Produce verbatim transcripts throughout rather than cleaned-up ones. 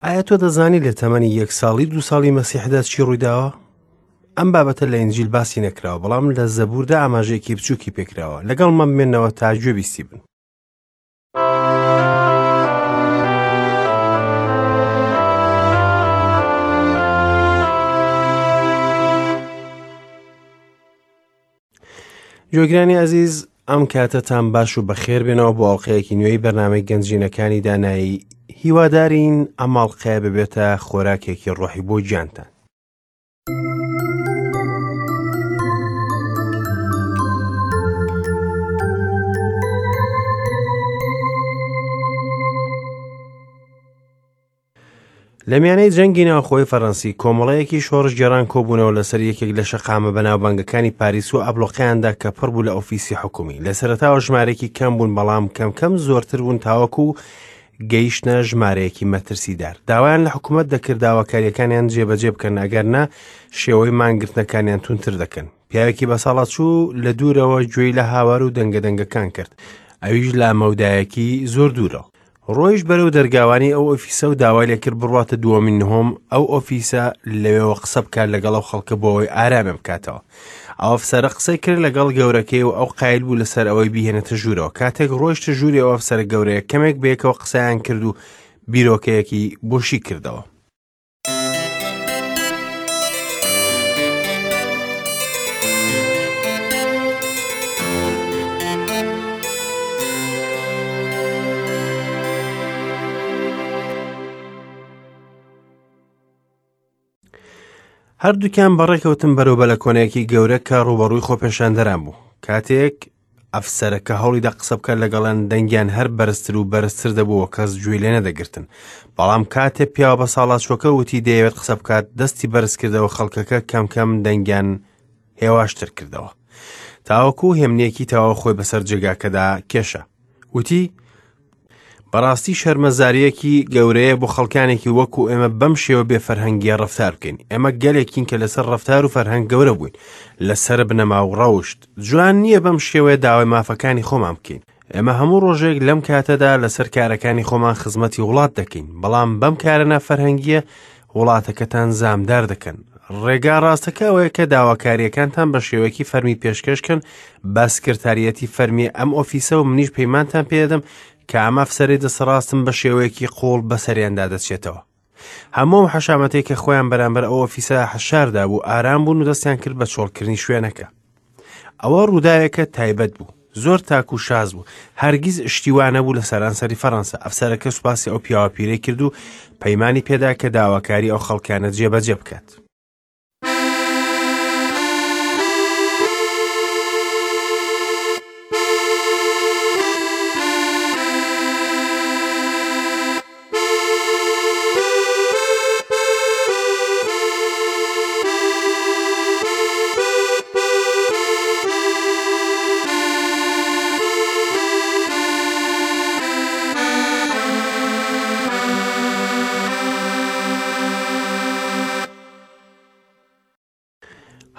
ئایا تۆ دەزانی لە تەمەنی یەک ساڵی دوو ساڵی مەسیحدا چی ڕوویداوە؟ ئەم بابەتە لە ئینجیل باسی نەکراوە، بەڵام لە زەبووردا ئاماژەیەکی بچووکی پێکراوە. لەگەڵمان بمێنەوە تا گوێبیستی بن. گوێگرانی ئازیز، ئەم کاتەتان باش و بەخێر بێنەوە بۆ ئەڵقەیەکی نوێی بەرنامەی گەنجینەکانی دانایی. هیوادارین ئەم ئەڵقەیە ببێتە خۆراکێکی ڕۆحی بۆ گیانتان. لە میانەی جەنگی ناوخۆی فەرەنسی کۆمەڵەیەکی شۆڕشگێڕان کۆبوونەوە لەسەر یەکێک لە شەقامە بەناوبانگەکانی پاریس و ئابلۆقیاندا کە پڕ بوو لە ئۆفیسی حکومی. لە سەرەتاوە ژمارەیەکی کەم بوون، بەڵام کەم کەم زۆرتر بوون تاوەکو گەیشتنە ژمارەیەکی مەترسیدار. داوایان لە حکوومەت دەکرد داواکاریەکانیان جێبەجێ بکەن، ئەگەر نا شێوەی مانگرتنەکانیان توندتر دەکەن. پیاوێکی بەساڵاچوو لە دوورەوە گوێی لە هاوار و دەنگەدەنگەکان کرد، ئەویش لە مەودایەکی زۆر دوورەوە. ڕۆیش بەرەو دەرگاوانی ئەو ئۆفیسە و داوای لێکرد بڕواتە دووەمین نهۆم ئەو ئۆفیسە لەوێوە قسە بکات لەگەڵ ئەو خەڵکە بۆ ئەوەی ئارامیان بکاتەوە. ئەو ئەفسەرە قسەی کرد لەگەڵ گەورەکەی و ئەو قایل بوو لەسەر ئەوەی بیهێنێتە ژوورەوە. کاتێک ڕۆیشتە ژووری ئەو ئەفسەرە گەورەیە، کەمێک بەیەکەوە قسەیان کرد و بیرۆکەیەکی بۆشی کردەوە. هەردووکیان بەڕێکەوتن بەرەو بەلەکۆنەیەکی گەورە کە ڕووبەڕووی خۆپێشاندەران بوو. کاتێک ئەفسەرەکە هەوڵیدا قسە بکات لەگەڵیان، دەنگیان هەر بەرزتر و بەرزتر دەبوو و کەس گوێی لێ نەدەگرتن. بەڵام کاتێ پیاوە بەساڵاچووەکە وتی دەیەوێت قسە بکات، دەستی بەرز کردەوە، خەڵکەکە کەم کەم دەنگیان هێواشتر کردەوە تاوەکو هێمنیەکی تەواو خۆی بەسەر جێگاکەدا کێشا. وتی بەڕاستی شەرمەزاریەکی گەورەیە بۆ خەڵکانێکی وەکو ئێمە بەم شێوە بێ فەرهەنگیە ڕەفتار بکەین. ئێمە گەلێکین کە لەسەر ڕەفتار و فەرهەنگ گەورە بووین، لەسەر بنەما و ڕەوشت. جوان نییە بەم شێوەیە داوای مافەکانی خۆمان بکەین. ئێمە هەموو ڕۆژێک لەم کاتەدا لەسەر کارەکانی خۆمان خزمەتی وڵات دەکەین، بەڵام بەم کارە نافەرهەنگیە وڵاتەکەتان زامدار دەکەن. ڕێگا ڕاستەکە ئەوەیە کە داواکاریەکانتان بە شێوەیەکی فەرمی پێشکەشکەن بە سکرتاریەتی فەرمی ئەم ئۆفیسە و منیش پەیمانتان پێدەم کە ئەم ئەفسەرەی دەسەڕاستم بە شێوەیەکی قوڵ بەسەریاندا دەچێتەوە. هەموو حەشامەتێک کە خۆیان بەرامبەر ئەو ئۆفیسە حەشاردا بوو ئارام بوون و دەستیان کرد بە چۆڵکردنی شوێنەکە. ئەوە ڕووداوێکە تایبەت بوو، زۆر تاک و شاز بوو، هەرگیز شتیوانە بوو لە سەرانسەری فەڕەنسا. ئەفسەرەکە سوپاسی ئەو پیاوە پیرەی کرد و پەیمانی پێدا کە داواکاری ئەو خەڵکانە جێبەجێ بکات.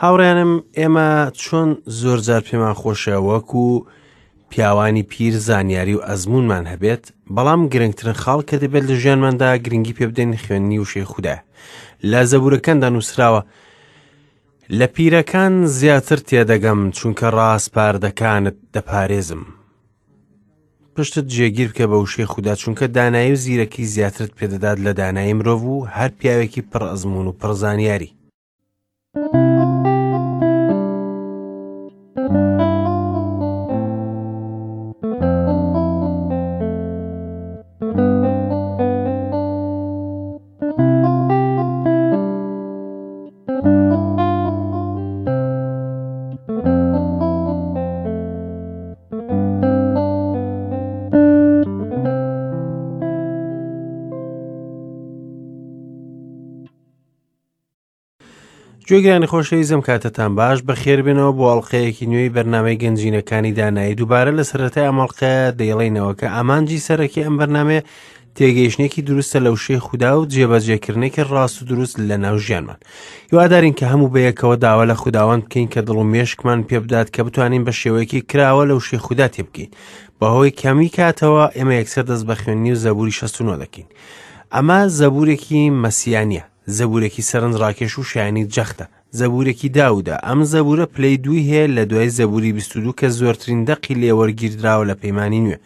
هاوڕێنم، ئێمە چۆن زۆر جار پێمان خۆشە وەکو پیاوانی پیر زانیاری و ئەزمونمان هەبێت، بەڵام گرنگترین خاڵ کە دەبێت لە ژیانماندا گرنگی پێ بدەین خوێندنی وشەی خودایە. لە زەبوورەکاندا نووسراوە لە پیرەکان زیاتر تێدەگەم، چونکە ڕاسپاردەکانت دەپارێزم. پشتت جێگیر بکە بە وشەی خودا، چونکە دانایی و زیرەکی زیاترت پێدەدات لە دانایی مرۆڤ و هەر پیاوێکی پڕ ئەزمون و پڕ زانیاری. گوێگرانی خۆشەویستم، کاتتان باش، بەخێربێنەوە بۆ ئەڵقەیەکی نوێی بەرنامەی گەنجینەکانی دانایی. دووبارە لە سەرەتای ئەم ئەڵقەیە دەیڵێینەوە کە ئامانجی سەرەکی ئەم بەرنامەیە تێگەیشتنێکی دروستە لە وشەی خودا و جێبەجێکردنێکی ڕاست و دروست لە ناو ژیانمان. هیوادارین کە هەموو بەیەکەوە داوا لە خوداوەند بکەین کە دڵ و مێشکمان پێبدات کە بتوانین بە شێوەیەکی کراوە لە وشەی خودا تێبگەین. بەهۆی کەمی کاتەوە ئێمە یەکسەر دەست بە خوێندنی و زەبوری شەست و نۆ دەکەین. ئەمە زەبوورێکی مەسیانیە، زەبوورێکی سەرنجڕاکێش و شایانی جەختە، زەبوورێکی داودە. ئەم زەبوورە پلەی دووی هەیە لە دوای زەبووری بیست و دوو کە زۆرترین دەقی لێوەرگیردراوە لە پەیمانی نوێ.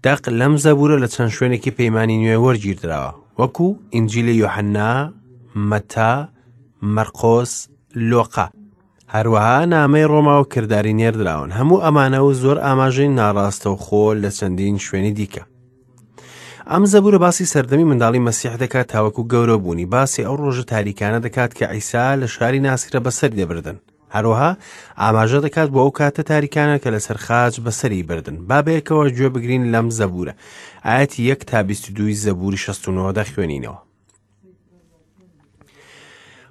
دەق لەم زەبوورە لە چەند شوێنێکی پەیمانی نوێ وەرگیردراوە، وەکو ئینجیلی یۆحەننا، مەتا، مەرقۆس، لۆقا، هەروەها نامەی ڕۆما و کرداری نێردراون. هەموو ئەمانە و زۆر ئاماژەی ناڕاستەوخۆ لە چەندین شوێنی دیکە. ئەم زەبوورە باسی سەردەمی منداڵی مەسیح دەکات تاوەکو گەورە بوونی، باسی ئەو ڕۆژە تاریکانە دەکات کە عیسا لە شاری ناسیرە بەسەری دەبردن. هەروەها ئاماژە دەکات بۆ ئەو کاتە تاریکانە کە لەسەر خاچ بەسەری بردن. با بەیەکەوە گوێ بگرین لەم زەبوورە. ئایەتی یەک تا بیست و دووی زەبووری شەست و نۆ دەخوێنینەوە.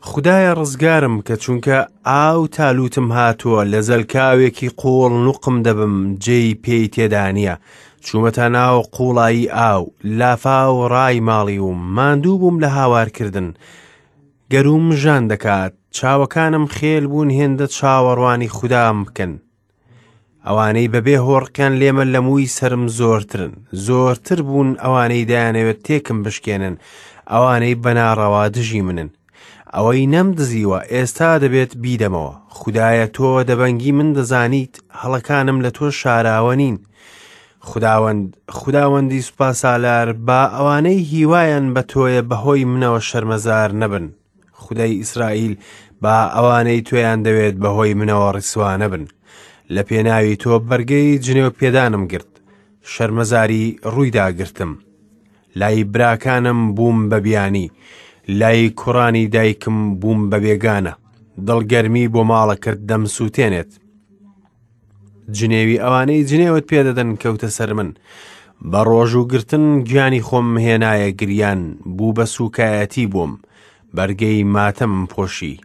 خدایە ڕزگارم کە چونکە ئاو تالوتم هاتووە، لە زەلکاوێکی قوڵ نوقم دەبم، جێی پێی تێدا نییە. چوومەتە ناو قوڵایی ئاو، لافاو ڕای ماڵی و ماندوو بووم لە هاوارکردن. گەروم ژان دەکات، چاوەکانم خێل بوون هێندە چاوەڕوانی خودام بکەن. ئەوانەی بەبێ هۆڕقیان لێمە لە مووی سەرم زۆرترن، زۆرتر بوون ئەوانەی دایانەوێت تێکم بشکێنن، ئەوانەی بەناڕەوا دژی منن. ئەوەی نەمدزیوە ئێستا دەبێت بیدەمەوە. خدایە تۆ دەبەنگی من دەزانیت، هەڵەکانم لە تۆ شاراوە نین. خداوەند، خداوەندی سوپاسالار، با ئەوانەی هیوایان بە تۆیە بەهۆی منەوە شەرمەزار نەبن. خدای ئیسرائیل، با ئەوانەی تۆیان دەوێت بەهۆی منەوە ڕیسوا نەبن. لە پێناوی تۆ بەرگەی جنێو پێدانم گرت، شەرمەزاری ڕوویدا گرتم. لای براکانم بووم بە بیانی، لای کوڕانی دایکم بووم بە بێگانە. دڵگەرمی بۆ ماڵەکرد دەمسووتێنێت. جنێوی ئەوانەی جنێوت پێدەدەن کەوتە سەر من. بە ڕۆژ و گرتن گیانی خۆم هێنایە گریان، بوو بە سوکایەتی بووم، بەرگەی ماتەمم پۆشی.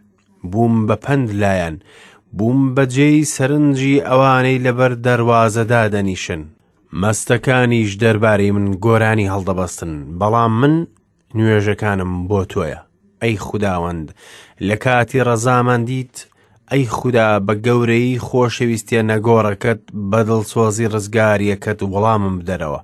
بووم بە پەند لایەن، بووم بە جێی سەرنجی ئەوانەی لەبەر دەروازەدا دەنیشن. مەستەکانیش دەربارەی من گۆرانی هەڵدەبەستن، بەڵام من نوێژەکانم بۆ تۆیە. ئەی خوداوەند، لە کاتی ڕەزامەندیت، ئەی خودا بە گەورەی خۆشەویستیە نەگۆڕەکەت، بە دڵسۆزی ڕزگاریەکەت وەڵامم بدەرەوە.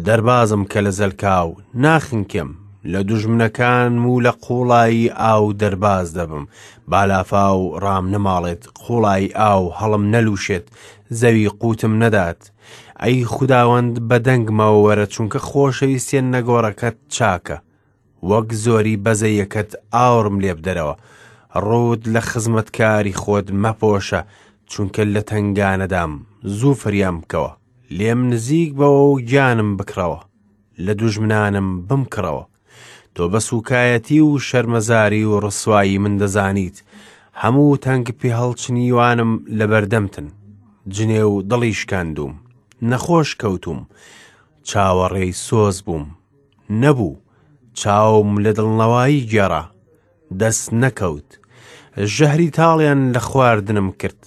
دەربازم کە لە زەلکاو ناخنکێم، لە دوژمنەکانم و لە قوڵایی ئاو دەرباز دەبم. بالافاو ڕام نەماڵێت، قوڵایی ئاو هەڵم نەلوشێت، زەوی قوتم نەدات. ئەی خوداوەند بە دەنگمەوە وەرە، چونکە خۆشەویستیە نەگۆڕەکەت چاکە. وەک زۆری بەزەیەکەت ئاوڕم لێ بدەرەوە. ڕووت لە خزمەتکاری خۆت مەپۆشە، چونکە لە تەنگانەدام. زوو فریام بکەوە، لێم نزیک بەوە و گیانم بکڕەوە، لە دوژمنانم بمکڕەوە. تۆ بە سوکایەتی و شەرمەزاری و ڕسوایی من دەزانیت، هەموو تەنگ پێهەڵچنیوانم لەبەردەمتن. جنێو دڵی شکاندووم، نەخۆش کەوتوم، چاوەڕێی سۆز بووم، نەبوو، چاوم لە دڵنەوایی گێڕا، دەست نەکەوت. ژەهری تاڵیان لە خواردنم کرد،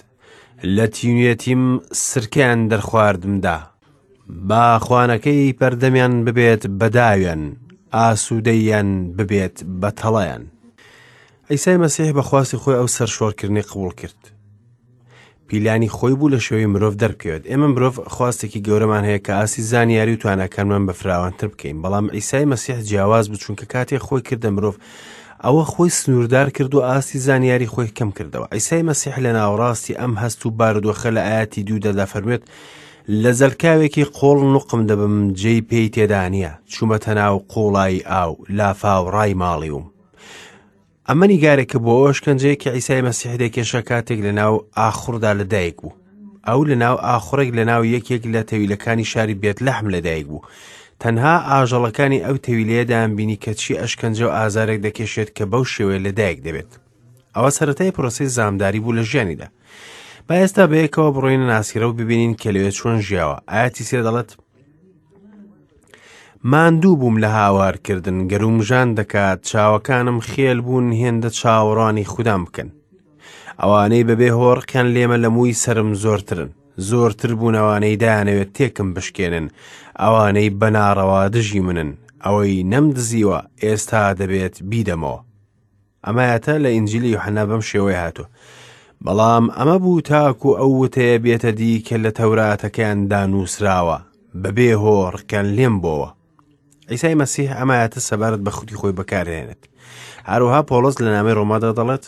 لە تینوێتیم سرکەیان دەرخواردمدا. با خوانەکەی پەردەمیان ببێت بە داویان، ئاسوودەیان ببێت بە تەڵەیان. عیسای مەسیح بە خواستی خۆی ئەو سەرشۆڕکردنی قبوڵ کرد. پیلانی خۆی بوو لە شێوەی مرۆڤ دەربکەوێت. ئێمە مرۆڤ خواستێکی گەورەمان هەیە کە ئاستی زانیاری و تواناکانمان بەفراوانتر بکەین، بەڵام عیسای مەسیح جیاواز بوو، چونکە کاتێک خۆی کردە مرۆڤ ئەوە خۆی سنووردار کرد و ئاستی زانیاری خۆی کەم کردەوە. عیسای مەسیح لە ناوەڕاستی ئەم هەست و بارودۆخە لە ئایەتی دوودا دەفەرموێت: لە زەلکاوێکی قوڵ نوقم دەبم، جێی پێی تێدا نییە، چوومەتە ناو قوڵایی ئاو، لافاو ڕای ماڵیوم. ئەمە نیگارێکە بۆ ئەو ئەشکەنجەیە کە عیسای مەسیح دەکێشا کاتێک لەناو ئاخوڕدا لەدایک بوو. ئەو لەناو ئاخوڕێک لەناو یەکێک لە تەویلەکانی شاری بێتلەحم لەدایک بوو. تەنها ئاژەڵەکانی ئەو تەویلەیە دەیانبینی کە چی ئەشکەنجە و ئازارێک دەکێشێت کە بەو شێوەیە لەدایک دەبێت. ئەوە سەرەتای پرۆسەی زامداری بوو لە ژیانیدا. با ئێستا بەیەکەوە بڕۆینە ناسیرە و ببینین کە لەوێ چۆن ژیاوە. ئایەتی سێ دەڵێت: ماندوو بووم لە هاوارکردن، گەروم ژان دەکات، چاوەکانم خێل بوون هێندە چاوەڕوانی خودام بکەن. ئەوانەی بەبێ هۆڕقیان لێمە لە مووی سەرم زۆرترن، زۆرتر بوون ئەوانەی دایانەوێت تێکم بشکێنن، ئەوانەی بەناڕەوا دژی منن. ئەوەی نەمدزیوە ئێستا دەبێت بیدەمەوە. ئەمایەتە لە ئینجیلی یوحەنا بەم شێوەیە هاتووە. بەڵام ئەمە بوو تاکو ئەو وتەیە بێتە دی کە لە تەوراتەکەیاندا نووسراوە، بەبێ هۆ ڕقیان لێم بۆوە. عیسای مەسیح ئەم ئایەتە سەبارەت بە خودی خۆی بەکاردێنێت. هەروەها پۆڵس لە نامەی ڕۆمادا دەڵێت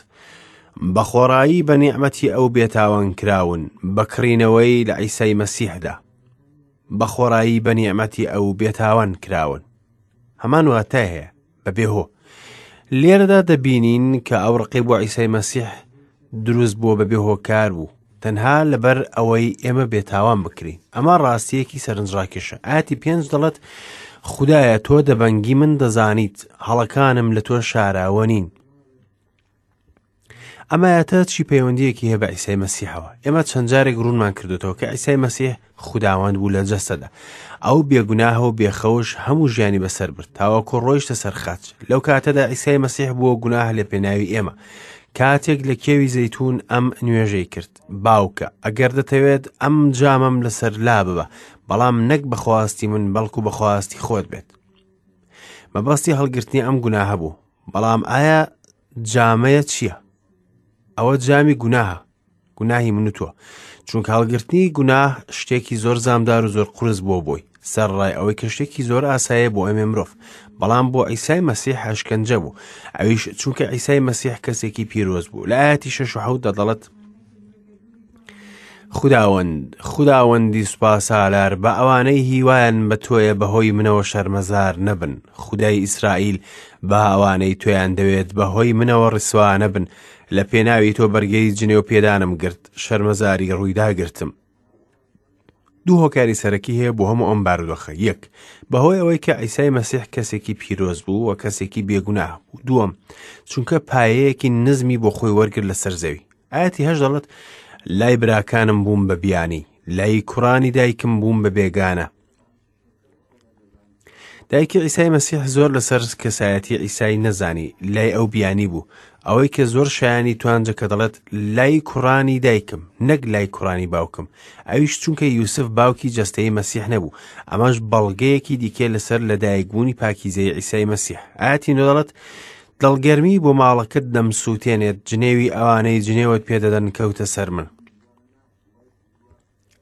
بە خۆڕایی بە نیعمەتی ئەو بێتاوان کراون بە کڕینەوەی لە عیسای مەسیحدا. بە خۆڕایی بە نیعمەتی ئەو بێتاوان کراون. هەمان واتای هەیە بەبێ هۆ. لێرەدا دەبینین کە ئەو ڕقی بۆ عیسای مەسیح دروست بووە بەبێ هۆکار بوو، تەنها لەبەر ئەوەی ئێمە بێتاوان بکرین. ئەمە ڕاستیەکی سەرنجڕاکێشە. ئاەتی پێنج دەڵێت خودایە تۆ دەبەنگی من دەزانیت، هەڵەکانم لە تۆ شاراوە نین. ئەمە ئایەتە چی پەیوەندیەکی هەیە بە عیسای مەسیحەوە؟ ئێمە چەند جارێک ڕوونمان کردوتەوە کە عیسای مەسیح خوداوەند بوو لە جەستەدا. ئەو بێگوناهە و بێخەوش هەموو ژیانی بەسەر برد تاوەکو ڕۆیشتە سەر خاچ. لەو کاتەدا عیسای مەسیح بووە گوناه لە پێناوی ئێمە. کاتێک لە کێوی زەیتون ئەم نوێژەی کرد، باوکە ئەگەر دەتەوێت ئەم جامەم لەسەر لا ببە، بەڵام نەک بەخواستی من بەڵکو بەخواستی خۆت بێت. مەبەستی هەڵگرتنی ئەم گوناهە بوو. بەڵام ئایا جامەیە چییە؟ ئەوە جامی گوناهە، گوناهی من و تۆ. چونکە هەڵگرتنی گوناه شتێکی زۆر زامدار و زۆر قورس بووە بۆی، سەرڕای ئەوەی کە شتێکی زۆر ئاسایە بۆ ئەمێ مرۆڤ، بەڵام بۆ عیسای مەسیح ئەشکەنجە بوو. ئەویش چونکە عیسای مەسیح کەسێکی پیرۆز بوو. لە ئایەتی شەش و حەوتدا دەڵێت خوداوەند، خوداوەندی سوپاسالار، بە ئەوانەی هیوایان بە تۆیە بەهۆی منەوە شەرمەزار نەبن. خودای ئیسرائیل، بە ئەوانەی تۆیان دەوێت بەهۆی منەوە ڕیسوا نەبن. لە پێناوی تۆ بەرگەی جنێو پێدانم گرت، شەرمەزاری ڕوویدا گرتم. دوو هۆکاری سەرەکی هەیە بۆ هەموو ئەم بارودۆخە. یەک، بەهۆی ئەوەی کە عیسای مەسیح کەسێکی پیرۆز بوو و کەسێکی بێگوناه بوو. دووەم، چونکە پایەیەکی نزمی بۆ خۆی وەرگرت لەسەر زەوی. ئایەتی هەشت دەڵێت لای براکانم بووم بە بیانی، لای کوڕانی دایکم بووم بە بێگانە. دایکی عیسای مەسیح زۆر لەسەر کەسایەتی عیسای نەزانی، لای ئەو بیانی بوو. ئەوەی کە زۆر شایانی توانجە کە دەڵێت لای کوڕانی دایکم نەک لای کوڕانی باوکم، ئەویش چونکە یوسف باوکی جەستەی مەسیح نەبوو. ئەمەش بەڵگەیەکی دیکە لەسەر لەدایکبوونی پاکیزەی عیسای مەسیح. ئایەتی نۆ دەڵێت دڵگەرمی بۆ ماڵەکەت دەمسووتێنێت، جنێوی ئەوانەی جنێوت پێدەدەن کەوتە سەر من.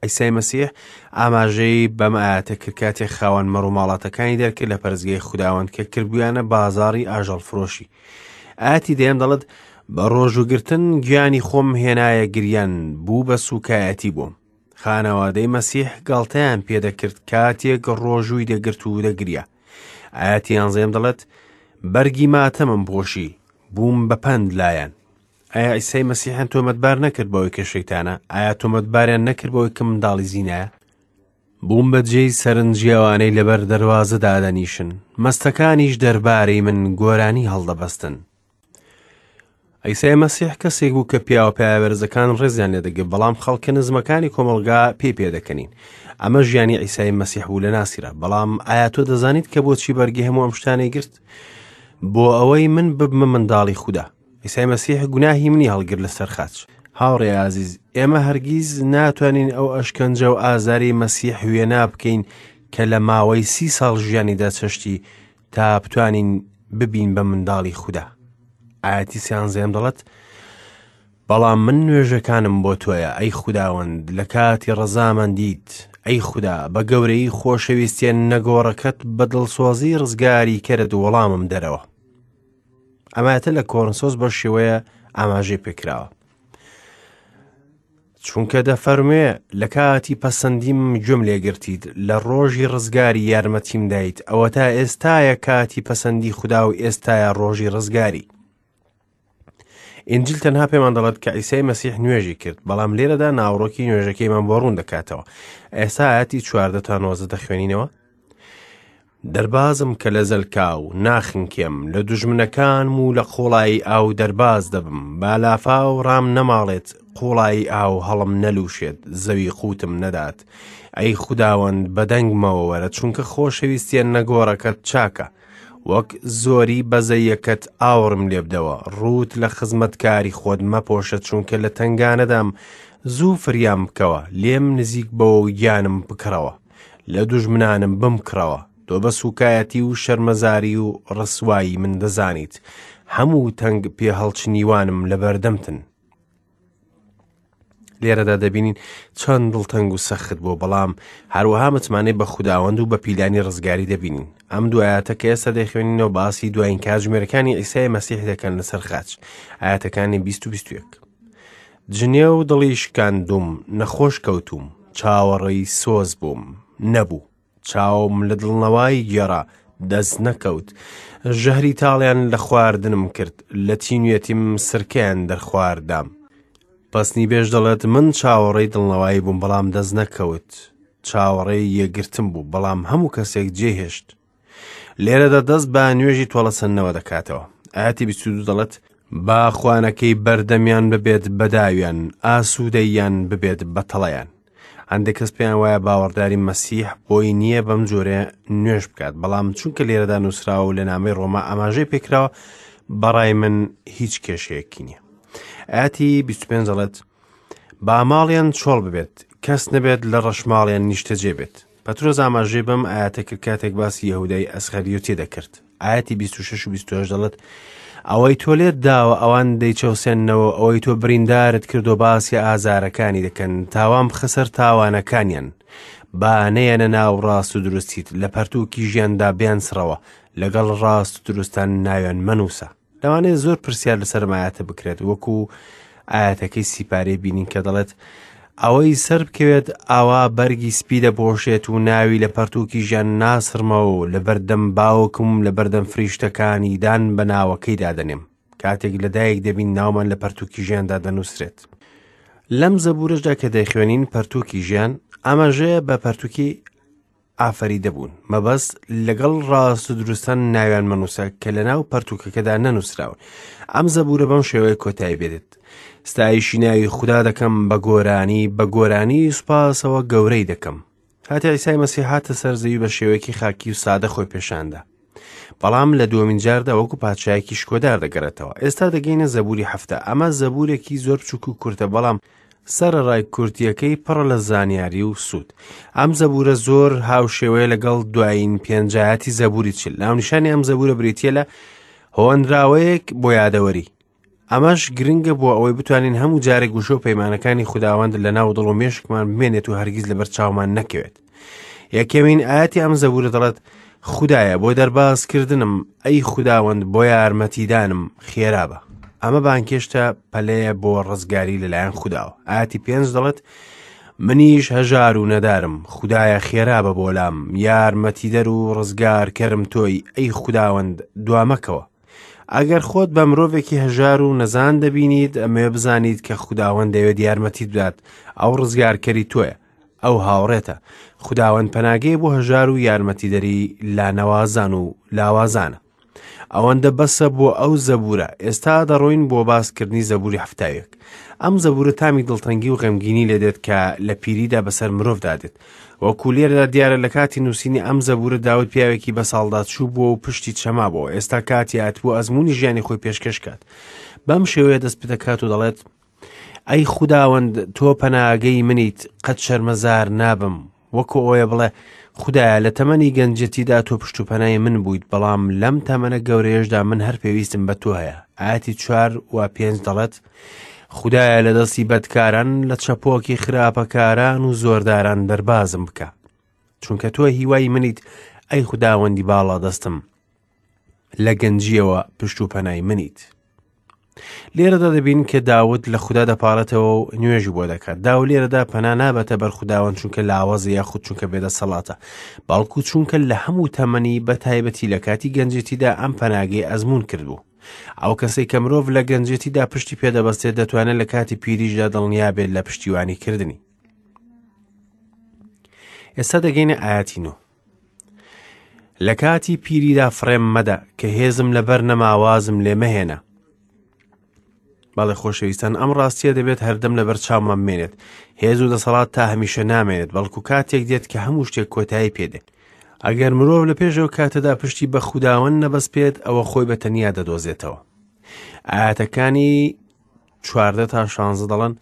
عیسای مەسیح ئاماژەی بەم ئایەتە کرد کاتێک خاوەن مەڕ و ماڵاتەکانی دەرکرد لە پەرستگای خوداوەند کە کردبوویانە بازاڕی ئاژەڵ فرۆشی. ئایەتی دەیەم دەڵێت بە ڕۆژوگرتن گیانی خۆم هێنایە گریان، بوو بە سوکایەتی بووم. خانەوادەی مەسیح گاڵتەیان پێدەکرد کاتێک ڕۆژووی دەگرت و دەگریا. ئایەتی یانزەیەم دەڵێت بەرگی ماتەمم پۆشی، بووم بە پەند لایەن. ئایا عیسای مەسیحیان تۆمەتبار نەکرد بەوەی کە شەیتانە؟ ئایا تۆمەتباریان نەکرد بەوەی کە منداڵی زینایە؟ بووم بە جێی سەرنجی ئەوانەی لەبەر دەروازە دادەنیشن، مەستەکانیش دەربارەی من گۆرانی هەڵدەبەستن. عیسای مەسیح کەسێک بوو کە پیاوە پایەبەرزەکان ڕێزیان لێدەگرت، بەڵام خەڵکە نزمەکانی کۆمەڵگا پێی پێدەکەنین. ئەمە ژیانی عیسای مەسیح بوو لە ناسیرە. بەڵام ئایا تۆ دەزانیت کە بۆچی بەرگی هەموو ئەم شتانەی گرت؟ بۆ ئەوەی من ببمە منداڵی خودا. عیسای مەسیح گوناهی منی هەڵگرت لەسەر خاچ. هاوڕێ ئازیز، ئێمە هەرگیز ناتوانین ئەو ئەشکەنجە و ئازاری مەسیح وێنا بکەین کە لە ماوەی سی ساڵ ژیانیدا چەشتی تا بتوانین ببین بە منداڵی خودا. ئایەتی سیانزەیەم دەڵێت بەڵام من نوێژەکانم بۆ تۆیە ئەی خوداوەند، لە کاتی ڕەزامەندیت. ئەی خودا، بە گەورەی خۆشەویستیە نەگۆڕەکەت بە دڵسۆزی ڕزگاری کەرت وەڵامم دەرەوە. ئەمایەتە لە کۆرنسۆس بە شێوەیە ئاماژەی پێکراوە. چونکە دەفەرموێ لە کاتی پەسەندیم گوێم لێگرتیت، لە ڕۆژی ڕزگاری یارمەتیم دایت. ئەوە تا ئێستایە کاتی پەسەندی خودا و ئێستایە ڕۆژی ڕزگاری. ئینجیل تەنها پێمان دەڵێت کە عیسای مەسیح نوێژی کرد، بەڵام لێرەدا ناوەڕۆکی نوێژەکەیمان بۆ ڕوون دەکاتەوە. ئێستا ئایەتی چواردە تا نۆزدە دەخوێنینەوە. دەربازم کە لە زەلکاو ناخنکێم، لە دوژمنەکانم و لە قوڵایی ئاو دەرباز دەبم. با لافاو ڕام نەماڵێت، قوڵایی ئاو هەڵم نەلووشێت، زەوی قوتم نەدات. ئەی خوداوەند بەدەنگمەوە وەرە، چونکە خۆشەویستیە نەگۆڕەکەت چاکە. وەک زۆری بەزەیەکەت ئاوڕم لێبدەوە، ڕووت لە خزمەتکاری خۆت مەپۆشە، چونکە لە تەنگانەدام. زوو فریام بکەوە، لێم نزیک بەوە و گیانم بکڕەوە، لە دوژمنانم بمکڕەوە. تۆ بە سوکایەتی و شەرمەزاری و ڕسوایی من دەزانیت، هەموو تەنگ پێهەڵچنیوانم لەبەردەمتن. لێرەدا دەبینین چەند دڵتەنگ و سەخت بوو، بەڵام هەروەها متمانەی بە خوداوەند و بە پیلانی ڕزگاری دەبینین. ئەم دوو ئایەتە کە ئێستا دەیخوێنینەوە باسی دوایین کاتژمێرەکانی عیسای مەسیح دەکەن لەسەر خاچ، ئایەتەکانی بیست و بیست و یەک. جنێو دڵی شکاندوم، نەخۆش کەوتوم، چاوەڕێی سۆز بووم، نەبوو. چاوم لە دڵنەوایی گێڕا، دەست نەکەوت. ژەهری تاڵیان لە خواردنم کرد، لە تینوێتیم سرکەیان دەرخواردام. پەسنی بێژ دەڵێت من چاوەڕێی دڵنەوایی بووم، بەڵام دەست نەکەوت. چاوەڕێی یەکگرتن بوو، بەڵام هەموو کەسێک جێهێشت. لێرەدا دەست بە نوێژی تۆڵەسەندنەوە دەکاتەوە. ئایەتی بیست و دوو دەڵێت با خوانەکەی بەردەمیان ببێت بەداویان، ئاسوودەیان ببێت بەتەڵەیان. هەندێک کەس پێیان وایە باوەڕداری مەسیح بۆی نییە بەم جۆرە نوێژ بکات، بەڵام چونکە لێرەدا نووسراوە و لە نامەی ڕۆما ئاماژەی پێکراوە، بەڕای من هیچ کێشەیەکی نییە. ئایەتی بیست و پێنج دەڵێت با ماڵیان چۆڵ ببێت، کەس نەبێت لە ڕەشماڵیان نیشتەجێ بێت. پەترۆس ئاماژەی بەم ئایەتە کرد کاتێک باسی یەهودای ئەسخەریۆتی دەکرد. ئایەتی بیست و شەش و بیست و هەشت دەڵێت ئەوەی تۆ لێت داوە ئەوان دەیچەوسێننەوە، ئەوەی تۆ بریندارت کرد و باسی ئازارەکانی دەکەن، تاوان بخە سەر تاوانەکانیان. با نەیەنە ناو ڕاست و دروستیت، لە پەرتووکی ژیاندا بیانسڕەوە، لەگەڵ ڕاست و دروستان ناویان مەنووسە. لەوانەیە زۆر پرسیار لەسەر ئایەتە بکرێت، وەکو ئایەتەکەی سیپارەی بینین کە دەڵێت ئەوەی سەر بکەوێت ئاوا بەرگی سپی دەپۆشێت و ناوی لە پەرتووکی ژیان ناسڕمەوە و لەبەردەم باوکم لەبەردەم فریشتەکانی دان بە ناوەکەیدا دەنێم. کاتێک لەدایک دەبین ناومان لە پەرتووکی ژیاندا دەنووسرێت. لەم زەبوورەشدا کە دەیخوێنین پەرتووکی ژیان ئاماژەیە بە پەرتووکی ئافەریدە بوون، مەبەست لەگەڵ ڕاست و دروستان ناویان مەنووسە کە لەناو پەرتووکەکەدا نەنووسراون. ئەم زەبوورە بەم شێوەیە کۆتایی بێت. ستایشی ناوی خودا دەکەم بە گۆرانی، بە گۆرانی سوپاسەوە گەورەی دەکەم. کاتێ عیسای مەسیح هاتە سەر زەوی بە شێوەیەکی خاکی و سادە خۆی پێشاندا، بەڵام لە دووەمین جاردا وەکو پادشایەکی شکۆدار دەگەڕێتەوە. ئێستا دەگەینە زەبوری هەفتە. ئەمە زەبورێکی زۆر بچووک و کورتە، بەڵام سەرەڕای کورتیەکەی پڕە لە زانیاری و سوود. ئەم زەبورە زۆر هاوشێوەیە لەگەڵ دوایین پێنجایەتی زەبوری چل. ناونیشانی ئەم زەبورە بریتیە لە هۆنراوەیەک بۆ یادەوەری. ئەمەش گرنگە بۆ ئەوەی بتوانین هەموو جارێک وشە و پەیمانەکانی خوداوەند لە ناو دڵ و مێشکمان بمێنێت و هەرگیز لەبەر چاومان نەکەوێت. یەکەمین ئایەتی ئەم زەبورە دەڵێت خودایە بۆ دەربازکردنم، ئەی خوداوەند بۆ یارمەتیدانم خێرا بە. ئەمە بانکێشتە پەلەیە بۆ ڕزگاری لەلایەن خوداوە. ئایەتی پێنج دەڵێت منیش هەژار و نەدارم، خودایە خێرا بە بۆ لام، یارمەتیدەر و ڕزگارکەرم تۆی، ئەی خوداوەند دوامەکەوە. ئەگەر خۆت بە مرۆڤێکی هەژار و نەزان دەبینیت، ئەمەوێ بزانیت کە خوداوەند دەیەوێت یارمەتیت بدات. ئەو ڕزگارکەری تۆیە، ئەو هاوڕێتە. خوداوەند پەناگەی بۆ هەژار و یارمەتیدەری لانەوازان و لاوازانە. ئەوەندە بەسە بۆ ئەو زەبورە. ئێستا دەڕۆین بۆ باسکردنی زەبوری هەفتاوێک. ئەم زەبورە تامی دڵتەنگی و غەمگینی لێدێت کە لە پیریدا بەسەر مرۆڤدا دێت. وەکو لێرەدا دیارە لە کاتی نووسینی ئەم زەبورە داود پیاوێکی بەساڵدا چوو بووە و پشتی چەما بووە. ئێستا کاتی هاتبوو ئەزمموی ژیانی خۆی پێشکەش کات. بەم شێوەیە دەست پێدەکات و دەڵێت ئەی خوداوەند تۆ پەناگەی منیت، قەت شەرمەزار نابم. وەکو ئەوەیە بڵێ خودایە لە تەمەنی گەنجێتیدا تۆ پشت و پەنای من بوویت، بەڵام لەم تەمەنە گەورەیەشدا من هەر پێویستم بە تۆ هەیە. ئایەتی چوار و پێنج دەڵێت خودایە لە دەستی بەدکاران، لە چەپۆکی خراپەکاران و زۆرداران دەربازم بکە، چونکە تۆ هیوای منیت، ئەی خوداوەندی باڵا دەستم، لە گەنجیەوە پشت و پەنای منیت. لێرەدا دەبین کە داود لە خودا دەپارێتەوە و نوێژی بۆ دەکات. داود لێرەدا پەنا نابەتە بەر خوداوەند چونکە لاوازە یاخود چونکە بێدەسەڵاتە، بەڵکو چونکە لە هەموو تەمەنی بە تایبەتی لە کاتی گەنجێتیدا ئەم پەناگەی ئەزمون کردبوو. ئەو کەسەی کە مرۆڤ لە گەنجێتیدا پشتی پێدەبەستێت دەتوانێت لە کاتی پیریشدا دڵنیا بێت لە پشتیوانی کردنی. ئێستا دەگەینە ئایەتی نۆ. لە کاتی پیریدا فڕێم مەدە کە هێزم لەبەر نەماوازم لێ مەهێنە. بەڵێ خۆشەویستان، ئەم ڕاستیە دەبێت هەردەم لەبەر چاومان بمێنێت. هێز و دەسەڵات تا هەمیشە نامێنێت، بەڵکو کاتێک دێت کە هەموو شتێک کۆتایی پێدێت. ئەگەر مرۆڤ لە پێشەوە کاتەدا پشتی بە خوداوەند نەبەستێت، ئەوە خۆی بە تەنیا دەدۆزێتەوە. ئایەتەکانی چواردە تا شانزە دەڵێن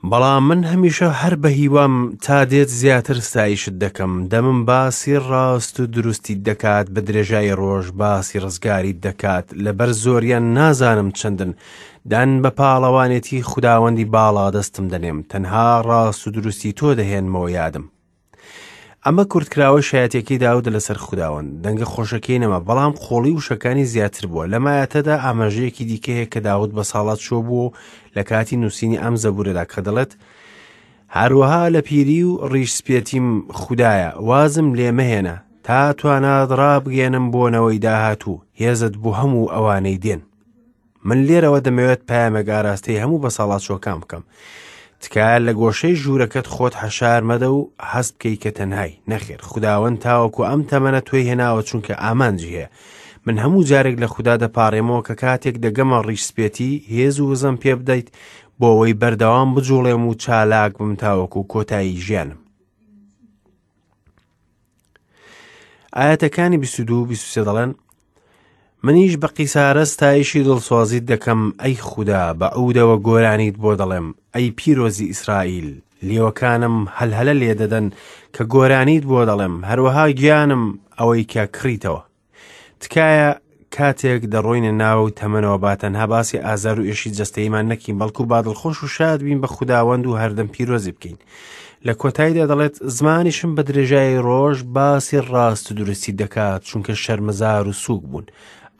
بەڵام من هەمیشە هەر بە هیوام تا دێت زیاتر ستایشت دەکەم. دەمم باسی ڕاست و دروستیت دەکات، بە درێژایی ڕۆژ باسی ڕزگاریت دەکات. لەبەر زۆریان نازانم چەندن، دان بە پاڵەوانێتی خوداوەندی باڵا دەستم دەنێم، تەنها ڕاست و دروستی تۆ دەهێنمەوە یادم. ئەمە کورتکراوەی شایەتێکی داودە لەسەر خوداوەند. دەنگە خۆشەکەی نەما، بەڵام قۆڵی وشەکانی زیاتر بووە. لە مایەتەدا ئاماژەیەکی دیکە هەیە کە داود بە ساڵات چووە بوو لە کاتی نووسینی ئەم زەبورەدا کە دەڵێت هەروەها لە پیری و ڕیش سپێتیم خودایە وازم لێ مەهێنە تا توانات ڕابگەێنم بۆ نەوەی داهاتوو، هێزت بۆ هەموو ئەوانەی دێن. من لێرەوە دەمەوێت پەیامێک ئاراستەی هەموو بەساڵاتچووەکان بکەم. تکایە لە گۆشەی ژوورەکەت خۆت حەشار مەدە و هەست بکەی کە تەنهای. نەخێر، خوداوەند تاوەکو ئەم تەمەنە تۆی هێناوە چونکە ئامانجی هەیە. من هەموو جارێک لە خودا دەپارێمەوە کە کاتێک دەگەمە ڕیش سپێتی هێز و وزەم پێ بدەیت بۆ ئەوەی بەردەوام بجوڵێم و چالاک بم تاوەکو کۆتایی ژیانم. ئاەتەکانی بیست و دوو بیست و سێ دەڵێن منیش بە قیسارە ستایشی دڵسۆزیت دەکەم، ئەی خودا، بە عودەوە گۆرانیت بۆ دەڵێم، ئەی پیرۆزی ئیسرائیل. لێوەکانم هەلهەلە لێدەدەن کە گۆرانیت بۆ دەڵێم، هەروەها گیانم ئەوەی کە کڕیتەوە. تکایە کاتێک دەڕۆینە ناو تەمەنەوە با تەنها باسی ئازار و ئێشی جەستەیمان نەکەین، بەڵکو با دڵخۆش و شاد بین بە خوداوەند و هەردەم پیرۆزی بکەین. لە کۆتاییدا دەڵێت زمانیشم بە درێژایی ڕۆژ باسی ڕاست و دروستی دەکات، چونکە شەرمەزار و سووک بوون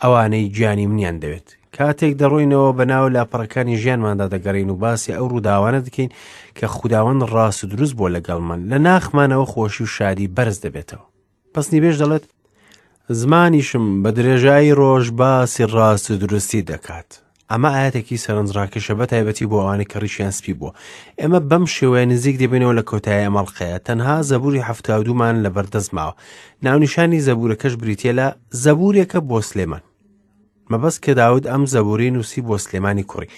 ئەوانەی گیانی منیان دەوێت. کاتێک دەڕۆینەوە بە ناو لاپەڕەکانی ژیانماندا دەگەڕین و باسی ئەو ڕووداوانە دەکەین کە خوداوەند ڕاست و دروست بووە لەگەڵمان، لە ناخمانەوە خۆشی و شادی بەرز دەبێتەوە. پەسنی بێژ دەڵێت زمانیشم بە درێژایی ڕۆژ باسی ڕاست و دروستی دەکات. ئەمە ئاەتێکی سەرنجڕاکێشە بە تایبەتی بۆ ئەوانەی کە ڕیشیان سپی بووە. ئێمە بەم شێوەیە نزیک دەبینەوە لە کۆتایی ئەم ئەڵقەیە. تەنها زەبوری حەفتا و دوومان لەبەردەست ماوە. ناونیشانی زەبورەکەش بریتیە لە زەبورێکە بۆ سلێمان. مەبەست کە داود ئەم زەبورەی نووسی بۆ سلێمانی کوڕی.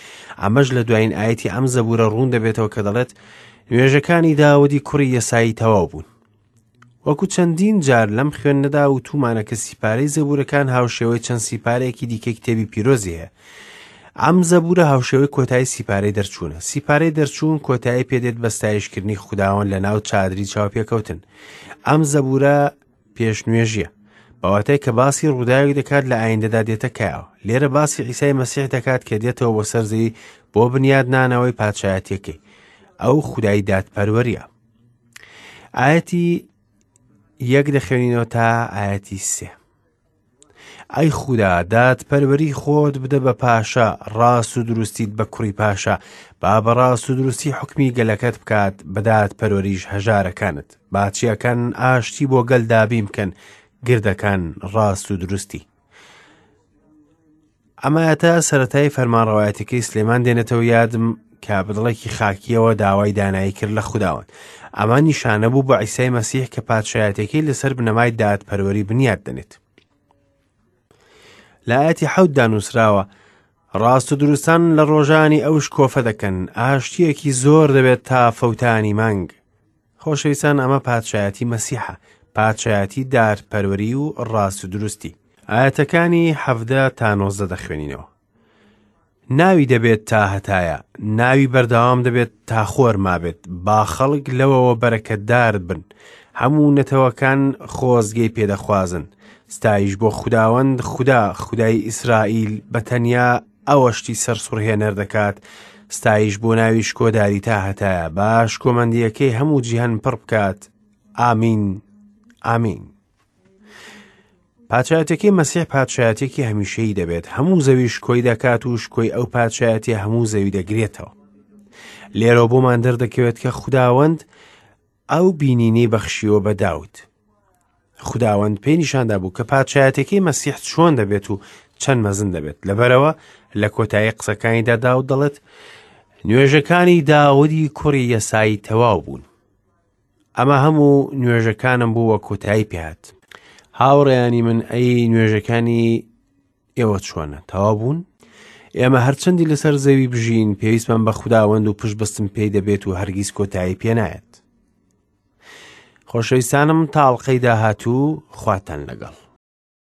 ئەمەش لە دوایین ئایەتی ئەم زەبورە ڕوون دەبێتەوە کە دەڵێت نوێژەکانی داودی کوڕی یەسایی تەواو بوون. وەکو چەندین جار لەم خوێندنەدا و تومانە کە سیپارەی زەبورەکان هاوشێوەی چەند سیپارەیەکی دیکەی کتێبی پیرۆزی هەیە. ئەم زەبورە هاوشێوەی کۆتایی سیپارەی دەرچوونە. سیپارەی دەرچوون کۆتایی پێدێت بە ستایشکردنی خوداوەند لە ناو چادری چاوپێکەوتن. ئەم زەبورە پێشنوێژیە، بەواتای کە باسی ڕووداوێک دەکات لە ئایندەدا دێتە کایەوە. لێرە باسی عیسای مەسیح دەکات کە دێتەوە بۆ سەر زەوی بۆ بنیادنانەوەی پادشایەتیەکەی. ئەو خودای دادپەروەریە. ئایەتی یەک دەخوێنینەوە تا ئایەتی سێ. ئەی خودا، دادپەروەری خۆت بدە بە پاشا، ڕاست و دروستیت بە کوڕی پاشا. با بە ڕاست و دروستی حوکمی گەلەکەت بکات، بە دادپەروەریش هەژارەکانت. با چیاکان ئاشتی بۆ گەل دابین بکەن، گردەکان ڕاست و دروستی. ئەمە تا سەرەتای فەرمانڕەوایەتەکەی سلێمان دێنێتەوە یادم کە بەدڵێکی خاکیەوە داوای دانایی کرد لە خوداوەند. ئەمە نیشانە بوو بە عیسای مەسیح کە پادشایەتەکەی لەسەر بنەمای دادپەروەری بنیاد دەنێت. لە ئایەتی حەوتدا نووسراوە ڕاست و دروستان لە ڕۆژانی ئەو شکۆفە دەکەن، ئاشتیەکی زۆر دەبێت تا فەوتانی مانگ. خۆشەویستان، ئەمە پادشایەتی مەسیحە، پادشایەتی دادپەروەری و ڕاست و دروستی. ئایەتەکانی حەڤدە تا نۆزدە دەخوێنینەوە. ناوی دەبێت تا هەتایە، ناوی بەردەوام دەبێت تا خۆر مابێت. با خەڵک لەوەوە بەرەکەتدار بن، هەموو نەتەوەکان خۆزگەی پێدەخوازن. ستایش بۆ خوداوەند خودا، خودای ئیسرائیل، بە تەنیا ئەوە شتی سەرسوڕهێنەر دەکات. ستایش بۆ ناوی شکۆداری تا هەتایە، با شکۆمەندیەکەی هەموو جیهان پڕ بکات. ئامین، ئامین. پادشایەتەکەی مەسیح پادشایەتێکی هەمیشەیی دەبێت، هەموو زەوی شکۆی دەکات و شکۆی ئەو پادشایەتی هەموو زەوی دەگرێتەوە. لێرەوە بۆمان دەردەکەوێت کە خوداوەند ئەو بینینەی بەخشیوە بە داود. خوداوەند پێی نیشاندا بوو کە پادشایەتەکەی مەسیح چۆن دەبێت و چەند مەزن دەبێت. لەبەرەوە لە کۆتایی قسەکانیدا داود دەڵێت نوێژەکانی داودی کوڕی یەسایی تەواو بوون. ئەمە هەموو نوێژەکانم بوو وە کۆتایی پێهات. هاوڕێیانی من، ئەی نوێژەکانی ئێوە چۆنە؟ تەواو بوون؟ ئێمە هەرچەندی لەسەر زەوی بژین پێویستمان بە خوداوەند و پشت بەستن پێی دەبێت و هەرگیز کۆتایی پێ نایەت. خۆشەویستانم، تا ئەڵقەی داهاتوو خواتان لەگەڵ.